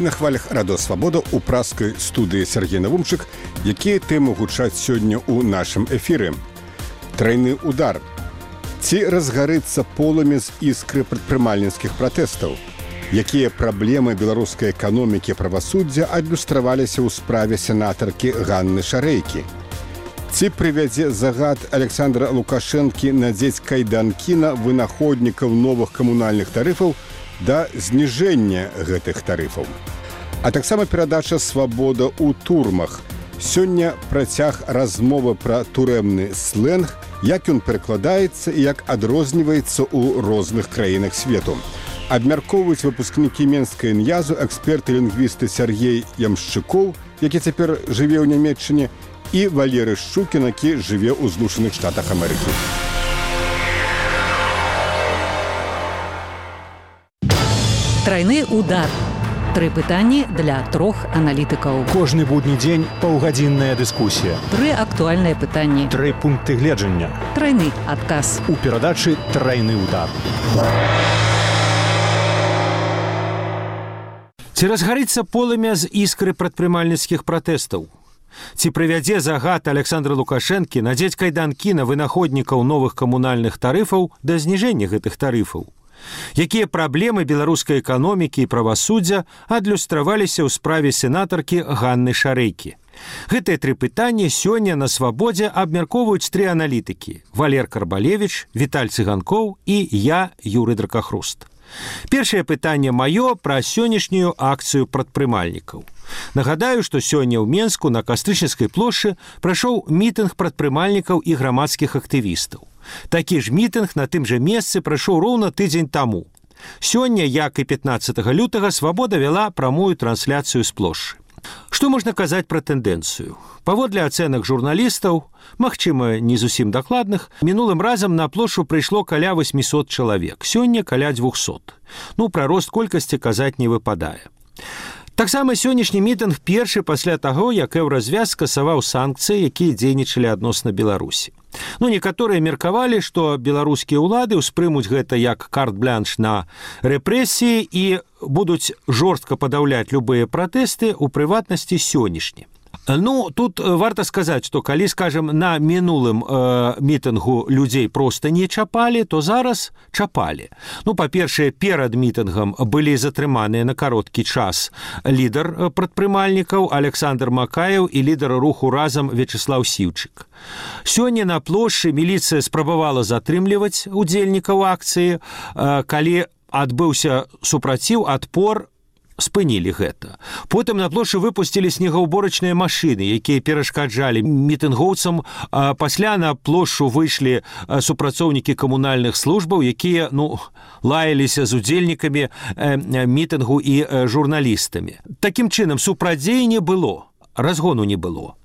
на хвалях радыёвабода ў праскай студыі Сергей Навумчык, якія тэмы гучаць сёння ў нашым эфіры. Трайны удар. Ці разгарыцца полымя з іскры прадпрымальніцкіх пратэстаў? Якія праблемы беларускай эканомікі правасуддзя адлюстраваліся ў справе сенатаркі Ганны Шарэйкі? Ці прывядзе загад Александра Лукашэнкі надзець кайданкі на вынаходнікаў новых камунальных тарыфаў да зніжэння гэтых тарыфаў. А таксама перадача «Свабода ў турмах». Сёння працяг размовы пра турэмны слэнг, як ён перакладаецца і як адрозніваецца ў розных краінах свету. Абмяркоўваюць выпускнікі Менскай НЯЗу, эксперты-лінгвісты Сергей Ямшчыкоў, які цяпер жыве ў Нямецчыне, і Валерый Шчукін, які жыве ў Злучаных Штатах Амерыкі. Трайны удар. Тры пытанні для трох аналітыкаў. Кожны будні дзень паўгадзінная дыскусія. Тры актуальныя пытанні. Тры пункты гледжання. Трайны адказ. У перадачы «Трайны удар». Ці разгарыцца полымя з іскры прадпрымальніцкіх пратэстаў? Ці прывядзе загад Александра Лукашэнкі надзець кайданкі на вынаходнікаў новых камунальных тарыфаў да зніжэння гэтых тарыфаў? Якія праблемы беларускай эканомікі і правасуддзя адлюстраваліся ў справе сенатаркі Ганны Шарэйкі? Гэтыя тры пытанні сёння на «Свабодзе» абмяркоўваюць тры аналітыкі: Валер Карбалевіч, Віталь Цыганкоў і я, Юрый Дракахруст. Першае пытанне маё пра сённяшнюю акцыю прадпрымальнікаў. Нагадаю, што сёння ў Менску на Кастрычніцкай плошчы прайшоў мітынг прадпрымальнікаў і грамадскіх актывістаў. Такі ж мітынг на тым жа месцы прайшоў роўна тыдзень таму. Сёння, як і 15 лютага, «Свабода» вяла прамую трансляцыю з плошчы. Што можна казаць пра тэндэнцыю? Паводле ацэнак журналістаў, магчыма, не зусім дакладных, мінулым разам на плошчу прыйшло каля 800 чалавек, сёння каля 200. Пра рост колькасці казаць не выпадае. Таксама сённяшні мітынг першы пасля таго, як Еўразвяз скасаваў санкцыі, якія дзейнічалі адносна Беларусі. Некаторыя меркавалі, што беларускія ўлады ўспрымуць гэта як карт-блянш на рэпрэсіі і будуць жорстка падаўляць любыя пратэсты, у прыватнасці сённяшні. Тут варта сказаць, што калі, скажам, на мінулым мітынгу людзей проста не чапалі, то зараз чапалі. Па-першае, перад мітынгам былі затрыманыя на кароткі час лідар прадпрымальнікаў Александр Макаеў і лідар руху «Разам» Вячеслав Сіўчык. Сёння на плошчы міліцыя спрабавала затрымліваць удзельнікаў акцыі, калі адбыўся супраціў, адпор, спынілі гэта. Потым на плошчы выпусцілі снегаўборачныя машыны, якія перашкаджалі мітынгоўцам. Пасля на плошчу выйшлі супрацоўнікі камунальных службаў, якія лаяліся з удзельнікамі мітынгу і журналістамі. Такім чынам, супрацьдзеі не было, разгону не было.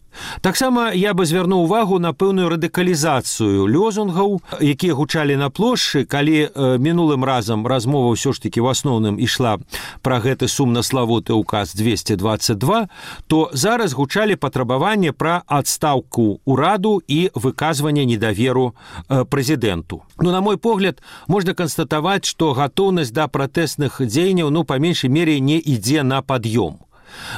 Таксама я бы звярнуў увагу на пэўную радыкалізацыю лёзунгаў, якія гучалі на плошчы, калі мінулым разам размова ўсё ж такі ў асноўным ішла пра гэты сумнаславуты ўказ 222, то зараз гучалі патрабаванні пра адстаўку ўраду і выказванне недаверу прэзідэнту. На мой погляд, можна канстатаваць, што гатоўнасць да пратэсных дзеянняў, па меншай мере, не ідзе на пад'ём.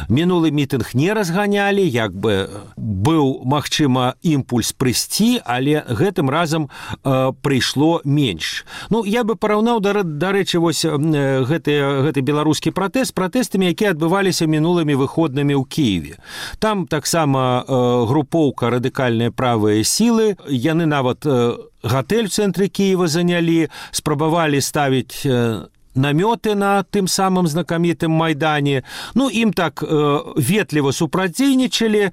Мінулы мітынг не разганялі, як бы быў, магчыма, імпульс прыйсці, але гэтым разам прыйшло менш. Я бы параўнаў, дарэчы, гэты беларускі пратэст з пратэстамі, якія адбываліся мінулымі выходнымі ў Кіеве. Там таксама групоўка радыкальныя правыя сілы, яны нават гатэль в цэнтры Кіева занялі, спрабавалі ставіць намёты на тым самым знакамітым Майдане. Ім так ветліва супрацьдзейнічалі.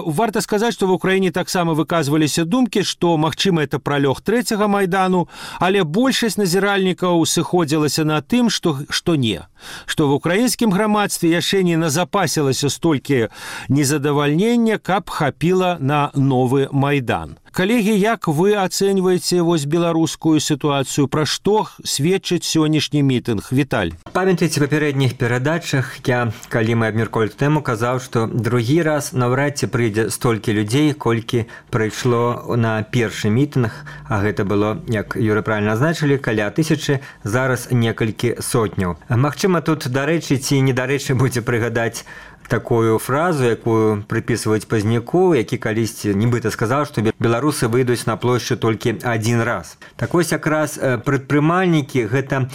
Варта сказаць, што в Украіне таксама выказваліся думкі, што, магчыма, это пралёг трэцяга Майдану, але большасць назіральнікаў сыходзілася на тым, што не. Што в украінскім грамадстве яшчэ не назапасілася столькі незадавальнення, каб хапіла на новы Майдан. Калегі, як вы ацэньваеце вось беларускую сітуацыю? Пра што сведчыць сённяшні мітынг? Віталь. Памятаеце, папярэдніх перадачах я, калі мы абмяркоўвалі тэму, казаў, што другі раз наўрад ці прыйдзе столькі людзей, колькі прыйшло на першы мітынг, а гэта было, як Юры правильна азначылі, каля 1000, зараз некалькі сотняў. Магчыма, тут дарэчы ці недарэчы будзе прыгадаць такую фразу, якую прыпісваюць Пазняку, які калісьці нібыта сказаў, што беларусы выйдуць на плошчу толькі адзін раз. Так вось якраз прадпрымальнікі – гэта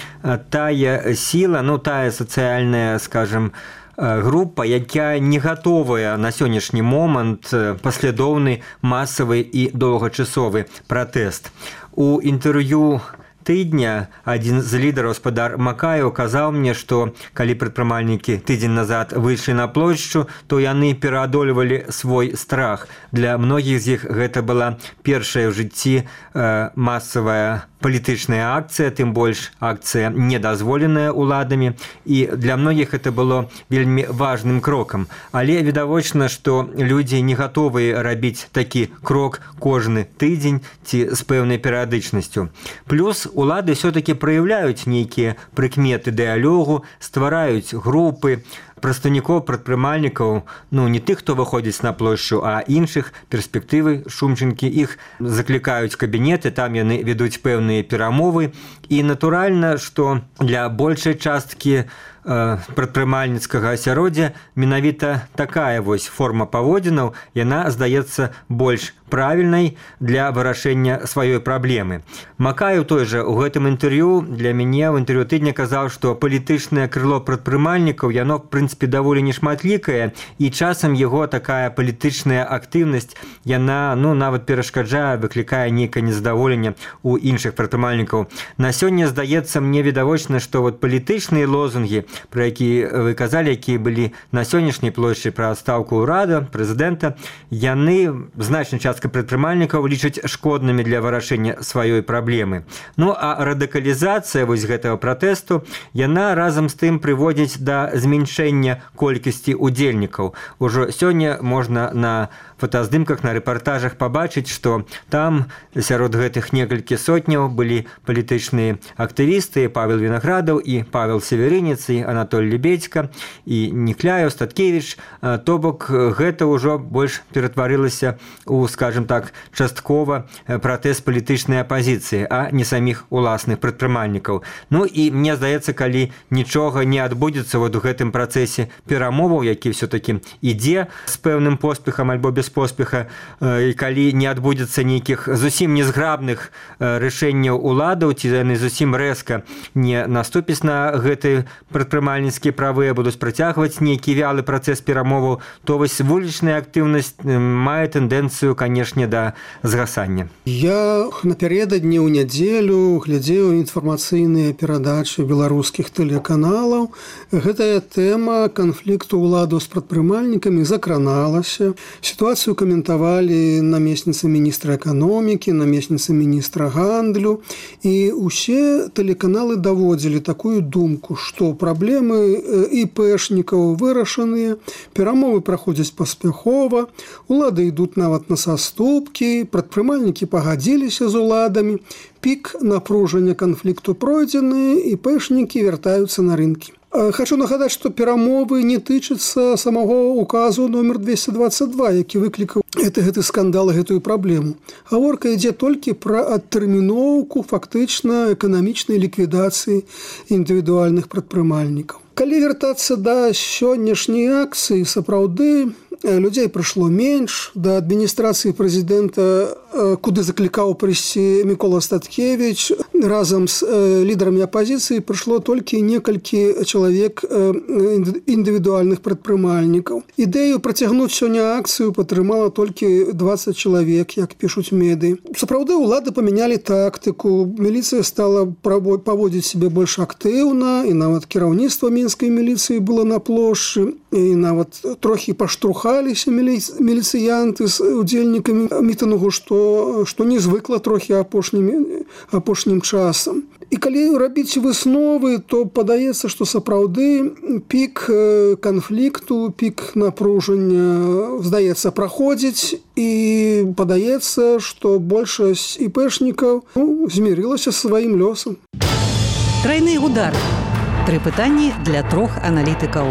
тая сіла, тая сацыяльная, скажем, група, якая не гатовая на сённяшні момант паслядоўны, масавы і доўгачасовы пратэст. У інтэрв'ю тыдня адзін з лідараў, спадар Макаеў, казаў мне, што калі прадпрымальнікі тыдзень назад выйшлі на плошчу, то яны пераадольвалі свой страх. Для многіх з іх гэта была першая ў жыцці масавая палітычная акцыя, тым больш акцыя недазволеная ўладамі, і для многіх это было вельмі важным крокам. Але відавочна, што людзі не гатовыя рабіць такі крок кожны тыдзень ці з пэўнай перыядычнасцю. Плюс улады все-таки праяўляюць нейкія прыкметы дыялогу, ствараюць групы прадстаўнікоў прадпрымальнікаў, не тых, хто выходзіць на плошчу, а іншых, перспектывы, шумчынкі, іх заклікаюць кабінеты, там яны ведуць пэўныя перамовы. І натуральна, што для большай часткі прадпрымальніцкага асяроддзя менавіта такая вось форма паводзінаў, яна здаецца больш правільнай для вырашэння сваёй праблемы. Макаеў той жа у гэтым інтэрв'ю для мяне ў інтэрв'ю тыдня казаў, што палітычнае крыло прадпрымальнікаў, яно, в прынцыпе, даволі нешматлікае, і часам яго такая палітычная актыўнасць, яна, нават перашкаджае, выклікае нейкае незадаволенне ў іншых прадпрымальнікаў. На сёння здаецца мне відавочна, што палітычныя лозунгі, про якія вы казалі, якія былі на сённяшняй плошчы пра адстаўку ўрада, прэзідэнта, яны, значная частка прадпрымальнікаў, лічаць шкоднымі для вырашэння сваёй праблемы. А радыкалізацыя вось гэтага пратэсту, яна разам з тым прыводзіць да змяншэння колькасці удзельнікаў. Ужо сёння можна на фотаздымках, на рэпартажах пабачыць, што там сярод гэтых некалькі сотняў былі палітычныя актывісты, Павел Вінаградаў і Павел Северынец, і Анатоль Лебедька, і Нікляеў, Статкевіч. То бок гэта ўжо больш ператварылася у, скажем так, часткова пратэст палітычнай апазіцыі, а не саміх уласных прадпрымальнікаў. І мне здаецца, калі нічога не адбудзецца у гэтым працэсе перамоваў, які все-таки ідзе з пэўным поспехам альбо без поспеха, і калі не адбудзецца нейкіх зусім незграбных рашэнняў уладаў, ці яны зусім рэзка не наступіць на гэты прадпрымальніцкія правы, будуць працягваць нейкі вялы працэс перамоваў, то вось вулічная актыўнасць мае тэндэнцыю, канешне, да згасання. Я напярэдадні ў нядзелю глядзеў інфармацыйныя перадачы беларускіх тэлеканалаў. Гэтая тэма канфлікту ўладаў з прадпрымальнікамі закраналася. Сітуацыю каментавалі намесніцы міністра эканомікі, намесніцы міністра гандлю, і ўсе тэлеканалы даводзілі такую думку, што праблемы ІПшнікаў вырашаныя, перамовы праходзяць паспяхова, улады ідуць нават на саступкі, прадпрымальнікі пагадзіліся з уладамі, пік напружання канфлікту пройдзены, ІПшнікі вяртаюцца на рынкі. Хочу нагадаць, што перамовы не тычацца самого указу номер 222, які выклікаў гэты скандал, гэтую праблему. Гаворка ідзе толькі пра адтэрміноўку фактычна эканамічнай ліквідацыі індывідуальных прадпрымальнікаў. Калі вяртацца да сённяшняй акцыі, сапраўды людзей прыйшло менш. Да адміністрацыі прэзідэнта, куды заклікаў прыйсці Мікола Статкевіч, разам з лідарамі апазіцыі прыйшло толькі некалькі чалавек індывідуальных прадпрымальнікаў. Ідэю працягнуць сёння акцыю падтрымала толькі 20 чалавек, як пішуць медыі. Сапраўды улады памянялі тактыку, міліцыя стала паводзіць сябе больш актыўна, і нават кіраўніцтва мінскай міліцыі было на плошчы, і нават трохі паштурхаліся міліцыянты з удзельнікамі мітынгу, што незвыкла трохі апошнім часам. І калі рабіць высновы, то падаецца, што сапраўды пік канфлікту, пік напружання, здаецца, праходзіць, і падаецца, што большасць іпэшнікаў змірылася са сваім лёсам. Трайны удар. 3 пытанні для 3 аналітыкаў.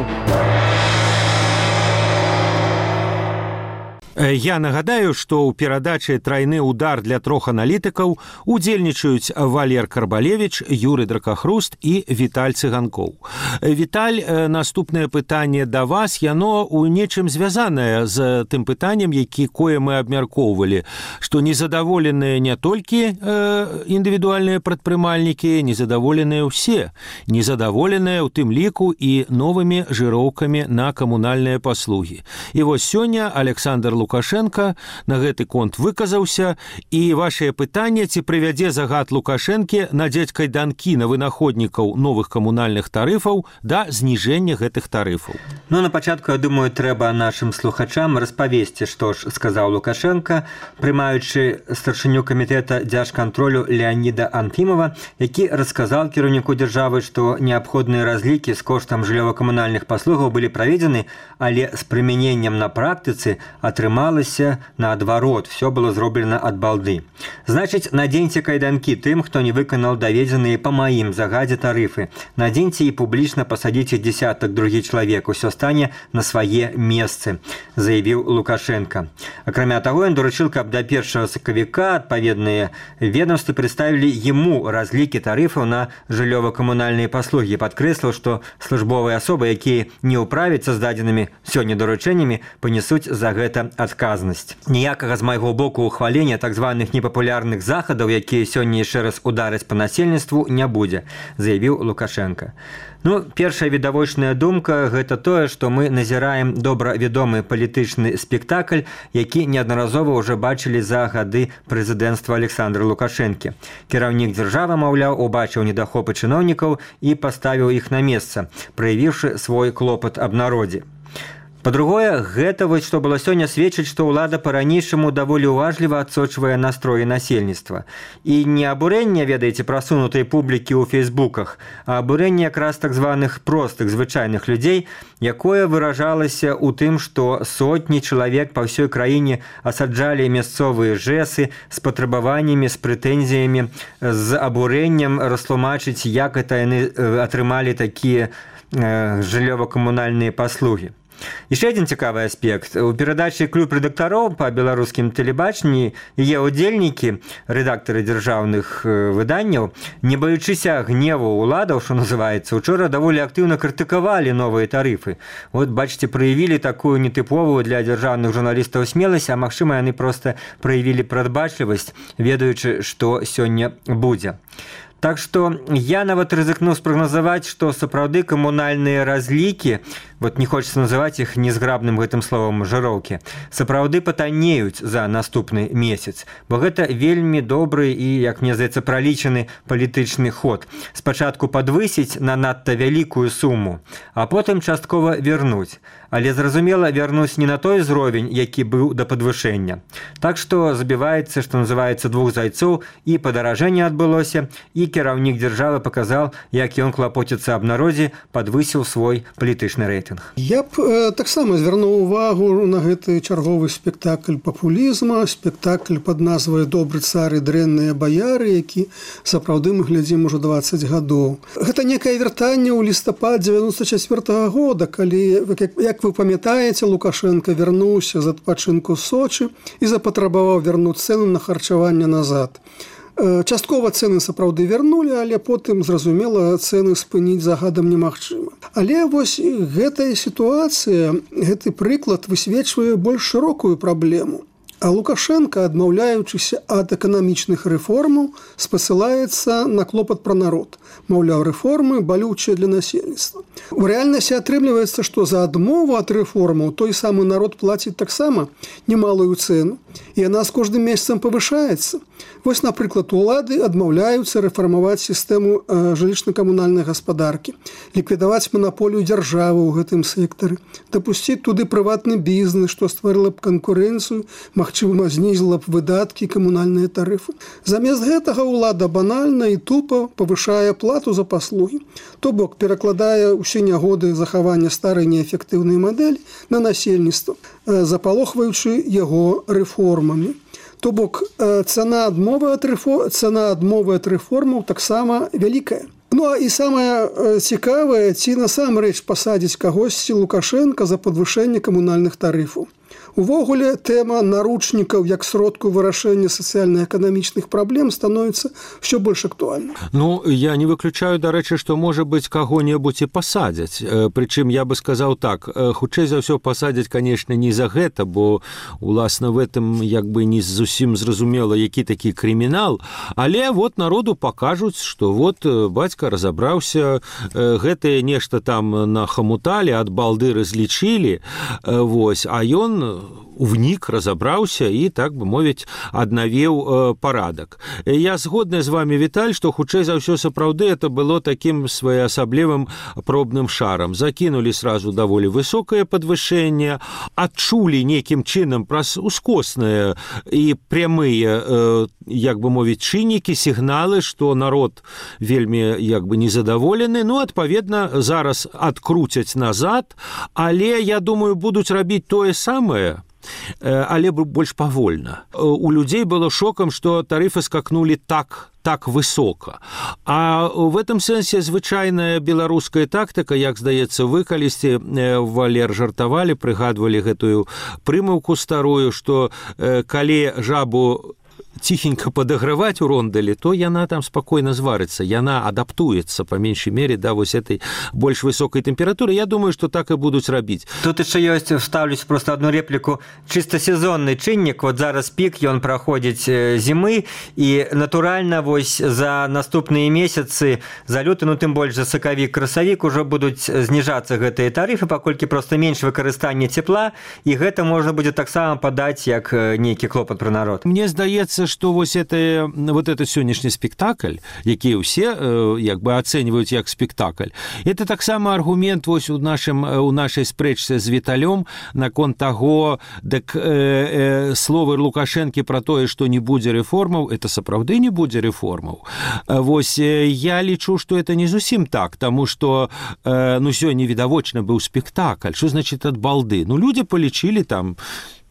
Я нагадаю, што ў перадачы «Трайны удар» для 3 аналітыкаў удзельнічаюць Валер Карбалевіч, Юрый Дракахруст і Віталь Цыганкоў. Віталь, наступнае пытанне да вас, яно ў нечым звязанае з тым пытаннем, якое мы абмяркоўвалі, што незадаволеныя не толькі індывідуальныя прадпрымальнікі, незадаволеныя ўсе, незадаволеныя ў тым ліку і новымі жыроўкамі на камунальныя паслугі. І вось сёння Александр Лукашенко на гэты конт выказаўся, і вашае пытанне, ці прывядзе загад Лукашэнкі надзець кайданкі на вынаходнікаў новых камунальных тарыфаў да зніжэння гэтых тарыфаў. Ну, на пачатку, я думаю, трэба нашым слухачам распавесці, што ж сказаў Лукашенко, прымаючы старшыню камітэта дзяржкантролю Леаніда Анфімова, які расказаў кіраўніку дзяржавы, што неабходныя разлікі з коштам жыллёва-камунальных паслугаў былі праведзены, але з прымяненнем на практыцы атрымалася наадварот, все было зроблена ад балды. Значыць, надзеньце кайданкі тым, хто не выканаў даведзеныя па маім загадзе тарыфы. Надзеньце і публічна пасадзіце дзесятак другі чалавек, усё стане на свае месцы, заявіў Лукашенко. Акрамя таго, ён даручыў, каб да 1 сакавіка адпаведныя ведомствы прадставілі яму разлікі тарыфаў на жыллёва-камунальныя паслугі. Падкрэсліў, што службовыя асобы, якія не ўправяцца з дадзенымі сёння даручэннямі, панесуць за гэта адказнасць. Ніякага з майго боку ухвалення так званых непапулярных захадаў, якія сёння яшчэ раз удараць па насельніцтву, не будзе, заявіў Лукашенко. Ну, першая відавочная думка – гэта тое, што мы назіраем добра вядомы палітычны спектакль, які неаднаразова ўжо бачылі за гады прэзідэнцтва Александра Лукашэнкі. Кіраўнік дзяржавы, маўляў, убачыў недахопы чыноўнікаў і паставіў іх на месца, праявіўшы свой клопат аб народзе. Па-другое, гэта вось што было сёння сведчыць, што ўлада па-ранейшаму даволі уважліва адсочвае настроі насельніцтва. І не абурэнне, ведаеце, прасунутай публікі ў фейсбуках, а абурэнне якраз так званых простых, звычайных людзей, якое выражалася ў тым, што сотні чалавек па ўсёй краіне асаджалі мясцовыя жэсы з патрабаваннямі, з прэтэнзіямі, з абурэннем растлумачыць, як гэта яны атрымалі такія жыллёва-камунальныя паслугі. Яшчэ адзін цікавы аспект. У перадачы «Клуб рэдактароў» па беларускім тэлебачанні яе удзельнікі, рэдактары дзяржаўных выданняў, не баючыся гневу ўладаў, што называецца, учора даволі актыўна крытыкавалі новыя тарыфы. Вот, бачыце, праявілі такую нетыповую для дзяржаўных журналістаў смеласць, а магчыма, яны проста праявілі прадбачлівасць, ведаючы, што сёння будзе. Так што я нават рызыкнуў спрагназаваць, што сапраўды камунальныя разлікі, вот не хочется называць іх незграбным гэтым словам жыроўкі, сапраўды патаннеюць за наступны месяц, бо гэта вельмі добры і, як мне здаецца, пралічаны палітычны ход. Спачатку падвысіць на надта вялікую суму, а потым часткова вернуць. Але, зразумела, вярнуць не на той узровень, які быў да падвышэння. Так што забіваецца, што называецца, двух зайцоў, і падаражэнне адбылося, і кіраўнік дзяржавы паказаў, як ён клапоціцца аб народзе, падвысіў свой палітычны рэйтынг. Я б таксама звярнуў увагу на гэты чарговы спектакль папулізма, спектакль пад назвай «Добры цар і дрэнныя баяры», які сапраўды мы глядзім ужо 20 гадоў. Гэта некае вяртанне ў лістападзе 94-го года, калі, як вы памятаеце, Лукашенко вярнуўся з адпачынку Сочы і запатрабаваў вярнуць цэны на харчаванне назад. Часткова цэны сапраўды вярнулі, але потым, зразумела, цэны спыніць загадам немагчыма. Але вось гэтая сітуацыя, гэты прыклад высвечвае больш шырокую праблему. А Лукашенко, адмаўляючыся ад эканамічных рэформаў, спасылаецца на клопат пра народ. Маўляў, рэформы балючыя для насельніцтва. У рэальнасці атрымліваецца, што за адмову ад рэформаў той самы народ плаціць таксама немалую цэну. І яна з кожным месяцам павышаецца. Вось, напрыклад, улады адмаўляюцца рэфармаваць сістэму жылічна-камунальнай гаспадаркі, ліквідаваць манаполію дзяржавы ў гэтым сектары, дапусціць туды прыватны бізнес, што стварыла б канкурэнцыю, магчымасць магчыма, знізіла б выдаткі камунальныя тарыфы. Замест гэтага ўлада банальна і тупа павышае плату за паслугі. То бок перакладае ўсе нягоды захавання старай неэфектыўнай мадэлі на насельніцтва, запалохваючы яго рэформамі. То бок цана адмовы ад рэформаў таксама вялікая. Ну а і самае цікавае, ці насамрэч пасадзіць кагосьці Лукашенка за падвышэнне камунальных тарыфаў. Увогуле, тэма наручнікаў як сродку вырашэння сацыяльна-эканамічных праблем становіцца ўсё больш актуальна. Ну, я не выключаю, дарэчы, што, можа быць, каго-небудзь і пасадзяць. Прычым, я бы сказаў так, хутчэй за ўсё пасадзяць, канешне, не за гэта, бо, уласна, в этом як бы не зусім зразумела, які такі крымінал, але вот народу пакажуць, што вот бацька разабраўся, гэтае нешта там нахамуталі, ад балды разлічылі, вось, а ён внік, разабраўся і, так бы мовіць, аднавіў парадак. Я згодны з вами, Віталь, што хутчэй за ўсё сапраўды это было такім своеасаблівым пробным шарам. Закінулі сразу даволі высокае падвышэнне, адчулі нейкім чынам праз ускосныя і прямыя, як бы мовіць, чыннікі, сігналы, што народ вельмі як бы незадаволены. Ну, адпаведна, зараз адкруцяць назад, але, я думаю, будуць рабіць тое самае, але больш павольна. У людзей было шокам, што тарыфы скакнулі так высока. А в этом сэнсе звычайная беларуская тактыка, як здаецца, вы калісьці, Валер, жартавалі, прыгадвалі гэтую прымаўку старую, што калі жабу ціхенька падаграваць у рондалі, то яна там спакойна зварыцца, яна адаптуецца, па меншай мере, да вось этой больш высокай тэмпературы. Я думаю, што так і будуць рабіць. Тут яшчэ ёсць, вставлюсь просто одну репліку, чыста сезонны чыннік, вот зараз пік, ён праходзіць зімы, і натуральна вось за наступныя месяцы, за люты, ну тым больш за сакавік, красавік ужо будуць зніжацца гэтыя тарыфы, паколькі проста менш выкарыстання цепла, і гэта можна будзе таксама падаць як нейкі клопат пра народ. Мне здаецца, што вось вот этот сённяшні спектакль, які ўсе як бы ацэньваюць як спектакль, это таксама аргумент вось у нашай спрэчцы з Віталём наконт таго, дык словы Лукашэнкі пра тое, што не будзе рэформаў, это сапраўды не будзе рэформаў. Вось я лічу, што это не зусім так, таму што ну сёння відавочна быў спектакль. Што значыць ад балды? Ну людзі палічылі там,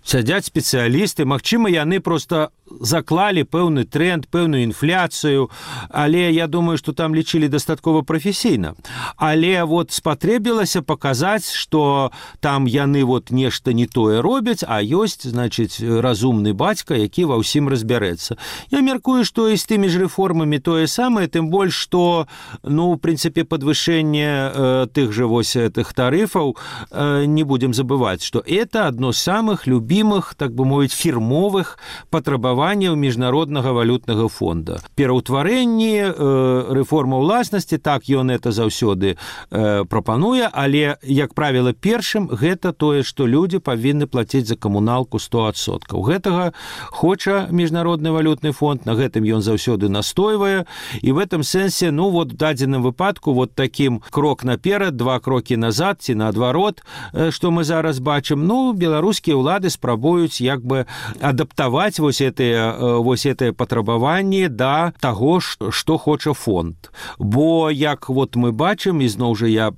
сядзяць спецыялісты, магчыма, яны проста заклалі пэўны тренд, пэўную інфляцыю, але я думаю, што там лічылі дастаткова прафесійна. Але вот спатрэбілася паказаць, што там яны вот нешта не тое робяць, а ёсць, значыць, разумны бацька, які ва ўсім разбярэцца. Я мяркую, што і з тымі ж рэформамі тое самае, тым больш, што, ну, в прынцыпе, падвышэнне тых жа вось этих тарыфаў, не будем забываць, што это адно з самых любімых, так бы мовіць, фірмовых патрабаванняў міжнароднага валютнага фонда. Пераўтварэнні, рэформа ўласнасці, так ён это заўсёды прапануе, але, як правіла, першым гэта тое, што людзі павінны плаціць за камуналку 100%. Гэтага хоча міжнародны валютны фонд, на гэтым ён заўсёды настойвае, і в этом сэнсе, ну, вот в дадзеным выпадку вот такім крок наперад, 2 крокі назад, ці наадварот, што мы зараз бачым, ну, беларускія ўлады спрабуюць як бы адаптаваць вось гэтыя патрабаванні да таго, што хоча фонд. Бо, як вот мы бачым, і зноў жа я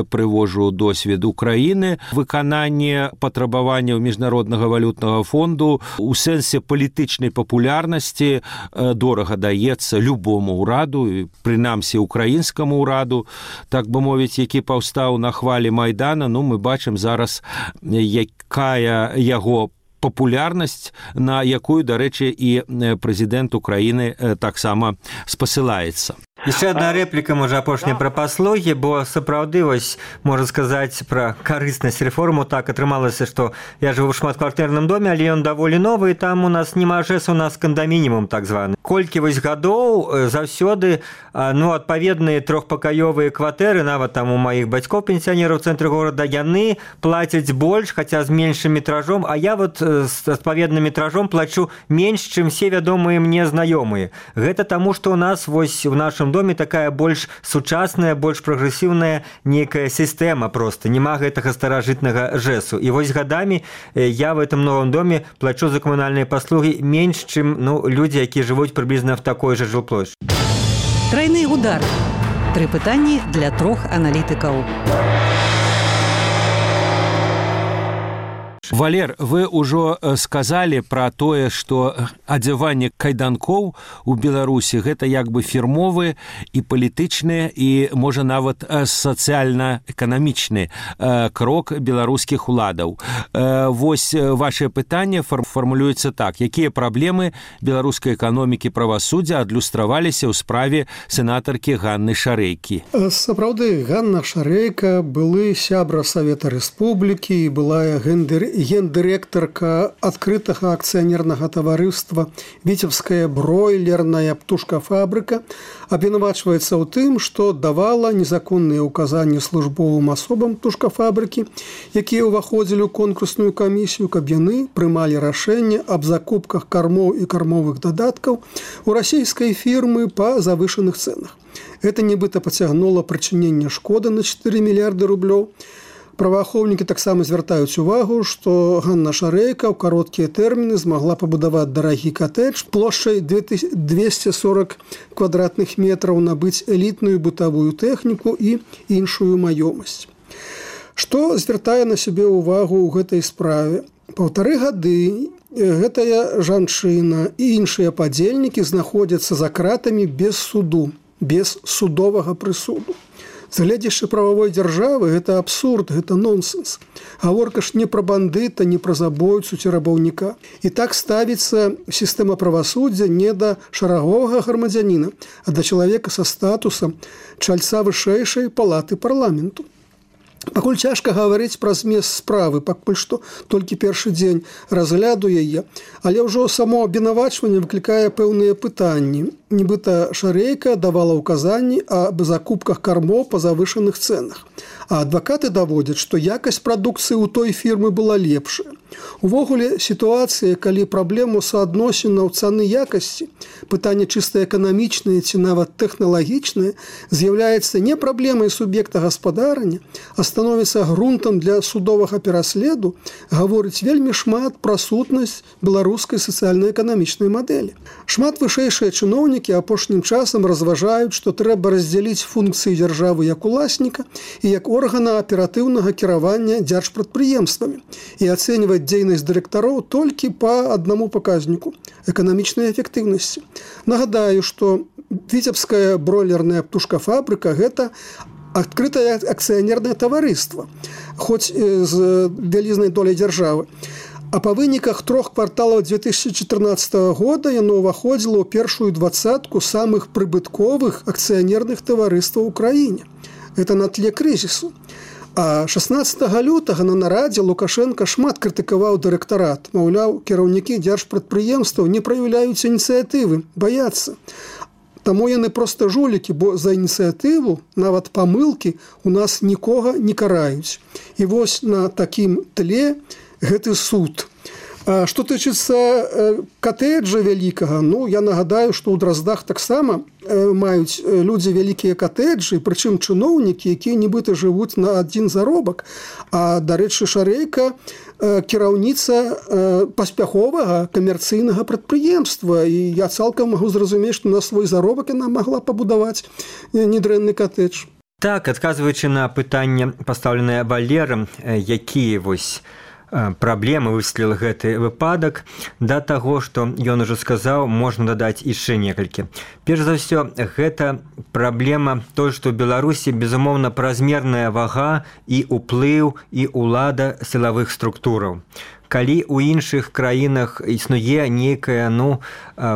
прывожу досвед Украіны, выкананне патрабаванняў міжнароднага валютнага фонду у сэнсе палітычнай папулярнасці дорага даецца любому ўраду, прынамсі украінскаму ўраду, так бы мовіць, які паўстаў на хвалі Майдана. Ну, мы бачым зараз, якая яго папулярнасць, на якую, дарэчы, і прэзідэнт Украіны таксама спасылаецца. Яшчэ одна рэпліка, можа, апошняя пра паслугі, бо сапраўды, вось, можна сказаць пра карыснасць рэформу. Так атрымалася, што я жыву ў шматкватэрным доме, але ён даволі новы, і там у нас нема ЖЭС, у нас кандамінімум так званы. Колькі вось гадоў заўсёды, ну, адпаведныя трохпакаёвыя кватэры, нават там у маіх бацькоў пенсіянераў у цэнтры горада, яны плацяць больш, хаця з меншым метражом, а я вот з адпаведным метражом плачу менш, чым все вядомыя мне знаёмыя. Гэта таму, што у нас вось у нашым новым доме такая больш сучасная, больш прагрэсіўная нейкая сістэма просто. Нема гэтага старажытнага жэсу. І вось гадамі я в этом новом доме плачу за камунальныя паслугі менш, чым людзі, якія жывуць прыблізна в такой жа жилплощади. Тройны удар. 3 пытанні для 3 аналітыкаў. Валер, вы ўжо сказалі пра тое, што адзяванне кайданкоў у Беларусі гэта як бы фірмовы і палітычны і, можа, нават сацыяльна-эканамічны крок беларускіх уладаў. Вось ваше пытанне фармулюецца так. Якія праблемы беларускай эканомікі правасуддзя адлюстраваліся ў справе сенатаркі Ганны Шарэйкі? Сапраўды, Ганна Шарэйка былы сябра Савета Рэспублікі і была гендырэктарка адкрытага акцыянернага таварыства «Віцебская бройлерная птушкафабрыка», абвінавачваецца ў тым, што давала незаконныя ўказанні службовым асобам птушкафабрыкі, якія ўваходзілі ў конкурсную камісію, каб яны прымалі рашэнне аб закупках кармоў і кармовых дадаткаў у расійскай фірмы па завышаных цэнах. Гэта нібыта пацягнула прычыненне шкоды на 4 мільярды рублёў. Праваахоўнікі таксама звяртаюць увагу, што Ганна Шарэйка ў кароткія тэрміны змагла пабудаваць дарагі катэдж плошчай 240 квадратных метраў, набыць элітную бытавую тэхніку і іншую маёмасць. Што звяртае на сябе ўвагу ў гэтай справе? 1,5 гады гэтая жанчына і іншыя падзельнікі знаходзяцца за кратамі без суду, без судовага прысуду. З гледзячы прававой дзяржавы гэта абсурд, гэта нонсенс. Гаворка ж не пра бандыта, не пра забойцу ці рабаўніка. І так ставіцца сістэма правасуддзя не да шараговага грамадзяніна, а да чалавека са статусам чальца вышэйшай палаты парламенту. Пакуль цяжка гаварыць пра змест справы, пакуль што толькі першы дзень разгляду яе, але ўжо само абвінавачванне выклікае пэўныя пытанні. Нібыта Шарэйка давала ўказанні аб закупках кармоў па завышаных цэнах. А адвакаты даводзяць, што якасць прадукцыі ў той фірмы была лепшая. Увогуле, сітуацыя, калі праблему суадносінаў цаны якасці, пытанне чыста эканамічнае ці нават тэхналагічнае, з'яўляецца не праблемай суб'екта гаспадарання, а становіцца грунтам для судовага пераследу, гаворыць вельмі шмат пра сутнасць беларускай сацыяльна-эканамічнай мадэлі. Шмат вышэйшыя чыноўнікі апошнім часам разважаюць, што трэба раздзяліць функцыі дзяржавы як уласніка і як органа аператыўнага кіравання дзяржпрадпрыемствамі і ацэньваць дзейнасць дырэктароў толькі па аднаму паказніку – эканамічнай эфектыўнасці. Нагадаю, што Віцебская бройлерная птушкафабрыка – гэта адкрытае акцыянернае таварыства, хоць з вялізнай доляй дзяржавы. А па выніках 3 кварталаў 2014 года яно ўваходзіла ў першую 20-ку самых прыбытковых акцыянерных таварыстваў у краіне. Гэта на тле крызісу. А 16 лютага на нарадзе Лукашенко шмат крытыкаваў дырэктарат. Маўляў, кіраўнікі дзяржпрадпрыемстваў не праяўляюць ініцыятывы, баяцца. Таму яны проста жулікі, бо за ініцыятыву, нават памылкі, у нас нікога не караюць. І вось на такім тле гэты суд. А што тычыцца катэджа вялікага, я нагадаю, што ў Драздах таксама маюць людзі вялікія катэджы, прычым чыноўнікі, якія нібыта жывуць на адзін заробак. А, дарэчы, Шарэйка кіраўніца паспяховага камерцыйнага прадпрыемства. І я цалкам магу зразумець, што на свой заробак яна магла пабудаваць недрэнны катэдж. Так, адказваючы на пытанне, пастаўленае Валерам, якія вось праблемы высветліў гэты выпадак, да таго, што ён ужо сказаў, можна дадаць яшчэ некалькі. Перш за ўсё, гэта праблема той, што ў Беларусі, безумоўна, празмерная вага і ўплыў і ўлада сілавых структураў. Калі ў іншых краінах існуе нейкая,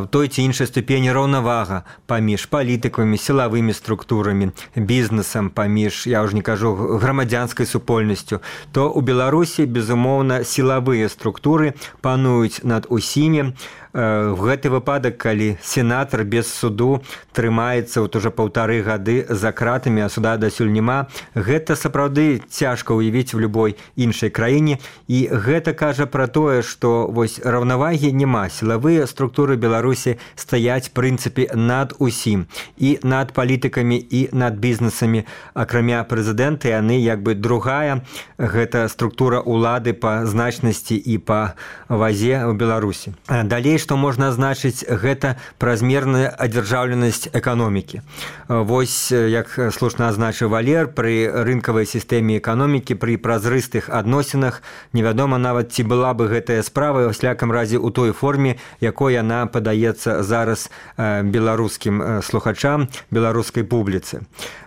той ці іншай ступені раўнавага паміж палітыкамі, сілавымі структурамі, бізнесам, паміж, я ўжо не кажу, грамадзянскай супольнасцю, то ў Беларусі, безумоўна, сілавыя структуры пануюць над усімі. В гэты выпадак, калі сенатар без суду трымаецца ўжо 1,5 гады за кратамі, а суда дасюль няма, гэта сапраўды цяжка ўявіць у любой іншай краіне, і гэта кажа кажа пра тое, што вось раўнавагі няма. Сілавыя структуры Беларусі стаяць прынцыпе над усім, і над палітыкамі, і над бізнесамі. Акрамя прэзідэнта, яны як бы другая гэта структура улады па значнасці і па вазе ў Беларусі. Далей, што можна азначыць, гэта празмерная адзяржаўленасць эканомікі. Вось, як слушна азначыў Валер, пры рынкавай сістэме эканомікі, пры празрыстых адносінах невядома нават, ці была бы гэтая справа, ў всякам разе у той форме, якой яна падаецца зараз беларускім слухачам, беларускай публіцы.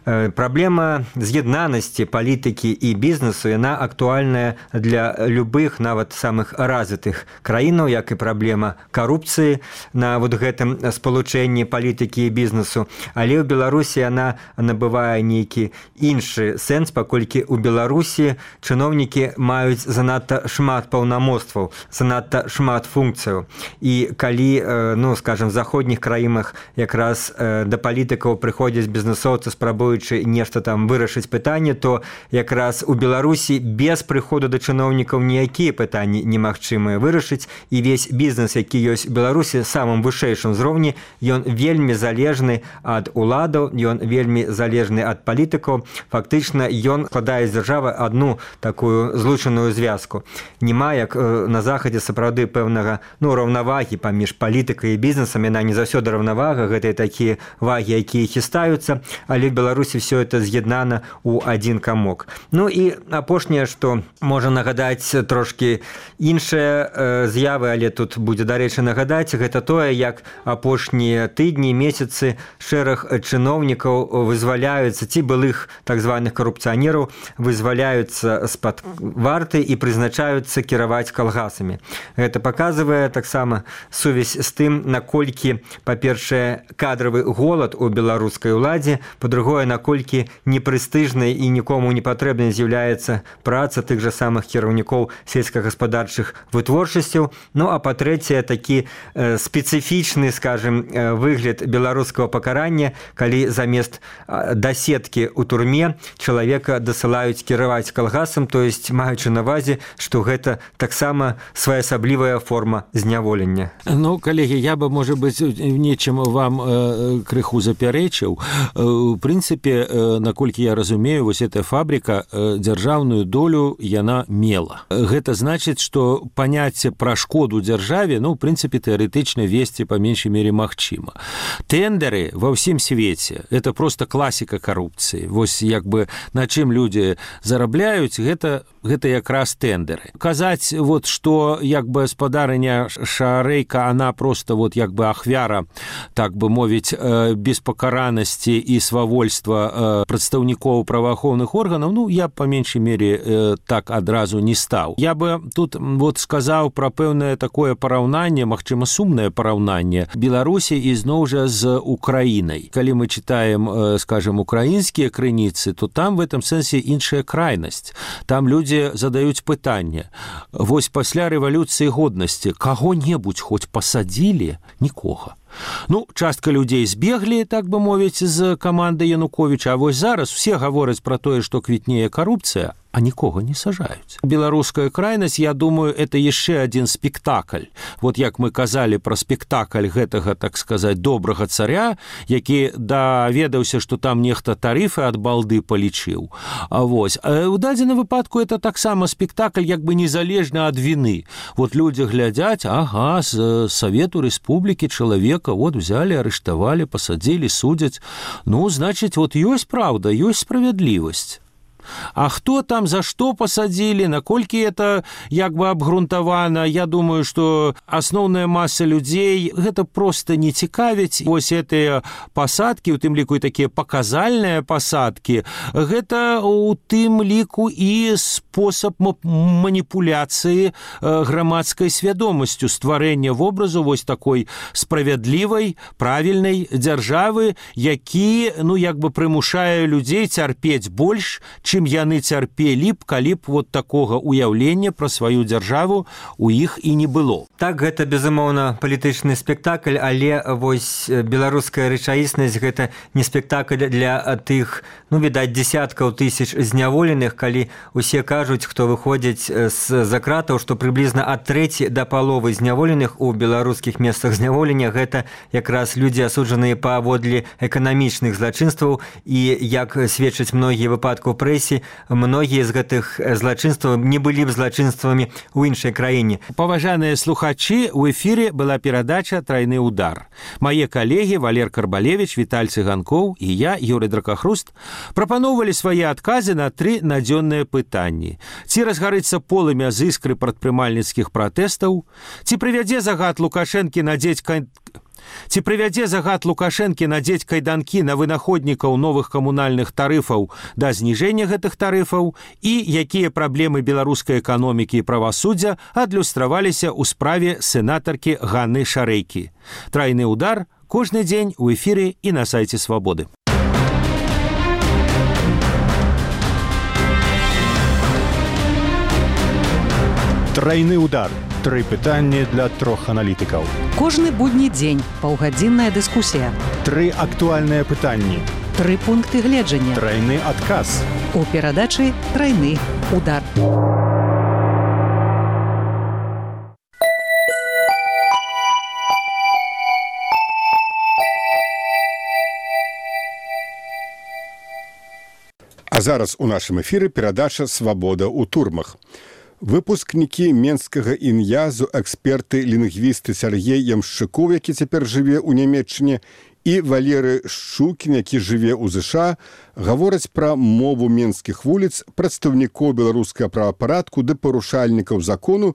Праблема з'яднанасці палітыкі і бізнесу, яна актуальная для любых, нават самых развітых краінаў, як і праблема карупцыі на вот гэтым спалучэнні палітыкі і бізнесу. Але ў Беларусі яна набывае нейкі іншы сэнс, паколькі ў Беларусі чыноўнікі маюць занадта шмат паўнамоцтваў, занадта шмат функцыяў. І калі, ну, скажем, в заходніх краінах якраз да палітыкаў прыходзяць бізнесоўцы, спрабуючы нешта там вырашыць пытанне, то якраз у Беларусі без прыходу да чыноўнікаў ніякія пытанні немагчымыя вырашыць, і весь бізнес, які ёсць у Беларусі, самым вышэйшым узроўні, ён вельмі залежны ад уладаў, ён вельмі залежны ад палітыкаў. Фактычна ён складае з дзяржавы адну такую злучаную звязку. Нема, як на захадзе, сапраўды пэўнага, ну, раўнавагі паміж палітыкай і бізнесам, яна не заўсёды раўнавага, гэта такія вагі, якія хістаюцца, але в Беларусі все это з'яднана ў адзін камок. Ну і апошняе, што можа нагадаць трошкі іншыя з'явы, але тут будзе, дарэчы, нагадаць, гэта тое, як апошнія тыдні, месяцы шэраг чыноўнікаў вызваляюцца, ці былых так званых карупцыянераў вызваляюцца з-пад варты і прызначаюцца кіраваць калгасамі. Гэта паказвае таксама сувязь з тым, наколькі, па-першае, кадравы голад у беларускай уладзе, па-другое, наколькі непрэстыжнай і нікому не патрэбнай з'яўляецца праца тых жа самых кіраўнікоў сельскагаспадарчых вытворчасцяў. Ну, а па-трэцяе, такі спецыфічны, скажем, выгляд беларускага пакарання, калі замест даседкі ў турме чалавека дасылаюць кіраваць калгасам, то есть маючы на ўвазе, што гэта таксама своеасаблівая форма зняволення. Ну, калегі, я бы, можа быць, нечым вам крыху запярэчыў. У прынцыпе, наколькі я разумею, вось эта фабрика дзяржаўную долю яна мела. Гэта значыць, што паняцце пра шкоду дзяржаве, ну, у прынцыпе, тэарэтычна весці па меншай мере магчыма. Тэндеры ва ўсім свеце — это просто класіка карупцыі. Вось як бы на чым людзі зарабляюць, гэта якраз тэндеры. Казаць, вот, што як бы спадарыня Шарэйка, она просто вот як бы ахвяра, так бы мовіць, беспакаранасці і свавольства прадстаўнікоў праваахоўных органаў, ну, я па меншай мере так адразу не стаў. Я бы тут вот сказаў пра пэўнае такое параўнанне, магчыма, сумнае параўнанне Беларусі і зноў жа з Украінай. Калі мы читаем, скажем, украінскія крыніцы, то там в этом сэнсе іншая крайнасць. Там людзі задаюць пытанне. Вось пасля рэвалюцыі годнасці каго-небудзь хоць пасадзілі? Нікога. Ну, частка людзей збеглі, так бы мовіць, з каманды Януковіча, а вось зараз все гавораць пра тое, што квітнее карупцыя, а нікога не сажаюць. Беларуская крайнасць, я думаю, это яшчэ адзін спектакль. Вот як мы казалі пра спектакль гэтага, так сказаць, добрага царя, які даведаўся, што там нехта тарыфы ад балды палічыў. А вось. А ў дадзеным выпадку это таксама спектакль як бы незалежна ад віны. Вот людзі глядзяць, ага, з Савету Рэспублікі чалавека вот взяли, арыштавалі, пасадзілі, судзяць. Ну, значыць, вот ёсць праўда, ёсць справядлівасць. А хто там за што пасадзілі, наколькі это як бы абгрунтавана, я думаю, што асноўная маса людзей гэта просто не цікавіць. Вось гэтыя пасадкі, у тым ліку і такія паказальныя пасадкі, гэта у тым ліку і спосаб маніпуляцыі грамадскай свядомасцю, стварэння вобразу вось такой справядлівай, правільнай дзяржавы, які, ну, як бы прымушае людзей цярпець больш, чым чым яны цярпелі б, калі б вот такога уяўлення пра сваю дзяржаву у іх і не было. Так, гэта, безумоўна, палітычны спектакль, але вось беларуская рэчаіснасць – гэта не спектакль для тых, відаць, дзесяткаў тысяч зняволеных, калі усе кажуць, хто выходзіць з-за кратаў, што прыблізна ад трэці да паловы зняволеных у беларускіх месцах зняволення гэта якраз людзі, асуджаныя паводле эканамічных злачынстваў, і, як сведчаць многія выпадкі ў прэсе, многія з гэтых злачынстваў не былі б злачынствамі ў іншай краіне. Паважаныя слухачы, у эфіре была перадача «Трайны удар». Мае калегі Валер Карбалевич, Віталь Цыганкоў і я, Юрый Дракахруст, прапаноўвалі свае адказы на 3 надзённыя пытанні. Ці разгарыцца полымя з іскры прадпрымальніцкіх пратэстаў? Ці прывядзе загад Лукашэнкі надзець кайданкі на вынаходнікаў новых камунальных тарыфаў да зніжэння гэтых тарыфаў, і якія праблемы беларускай эканомікі і правасуддзя адлюстраваліся ў справе сенатаркі Ганны Шарэйкі. «Трайны удар» кожны дзень у эфіры і на сайце Свабоды. Трайны удар. 3 пытанні для 3 аналітыкаў. Кожны будні дзень паўгадзінная дыскусія. 3 актуальныя пытанні. 3 пункты гледжання. Трайны адказ. У перадачы «Трайны удар». А зараз у нашым эфіры перадача «Свабода ў турмах». Выпускнікі менскага ін'язу, эксперты, лінгвісты Сяргей Ямшчыкоў, які цяпер жыве ў Нямецчыне, і Валеры Шчукін, які жыве ў ЗША, гавораць пра мову менскіх вуліц, прадстаўнікоў беларускага правапарадку ды парушальнікаў закону,